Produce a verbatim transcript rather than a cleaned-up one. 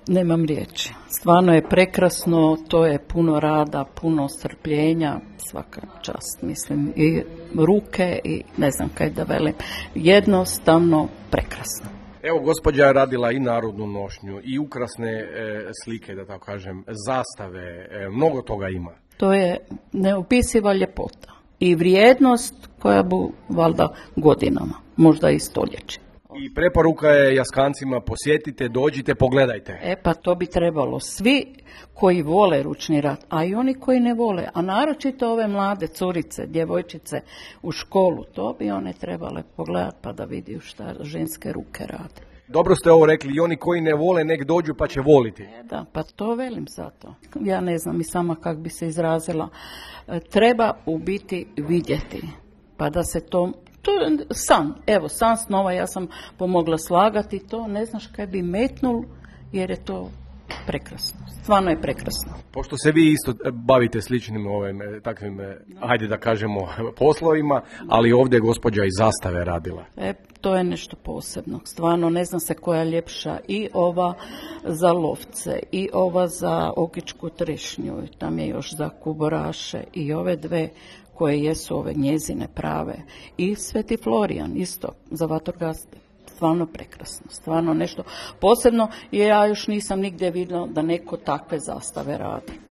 Nemam riječi. Stvarno je prekrasno, to je puno rada, puno strpljenja, svaka čast, mislim, i ruke i ne znam kaj da velim. Jednostavno prekrasno. Evo, gospođa je radila i narodnu nošnju, i ukrasne e, slike, da tako kažem, zastave, e, mnogo toga ima. To je neopisiva ljepota i vrijednost koja bu valjda godinama, možda i stoljeće. I preporuka je Jaskancima, posjetite, dođite, pogledajte. E pa to bi trebalo svi koji vole ručni rad, a i oni koji ne vole, a naročito ove mlade curice, djevojčice u školu, to bi one trebale pogledati pa da vidiju šta ženske ruke rade. Dobro ste ovo rekli, i oni koji ne vole nek dođu pa će voliti. E da, pa to velim zato. Ja ne znam i sama kako bi se izrazila. E, treba u biti vidjeti, pa da se to... To je san, evo san snova, ja sam pomogla slagati to, ne znaš kaj bi metnul jer je to prekrasno, stvarno je prekrasno. Pošto se vi isto bavite sličnim ovim takvim, hajde da kažemo, poslovima, ali ovdje je gospođa iz zastave radila. E, to je nešto posebno, stvarno ne znam se koja je ljepša, i ova za lovce, i ova za okičku trešnju, tam je još za kuboraše, i ove dve koje jesu ove njezine prave, i Sveti Florijan isto za vatrogaste. Stvarno prekrasno, stvarno nešto posebno, jer ja još nisam nigdje vidjela da neko takve zastave radi.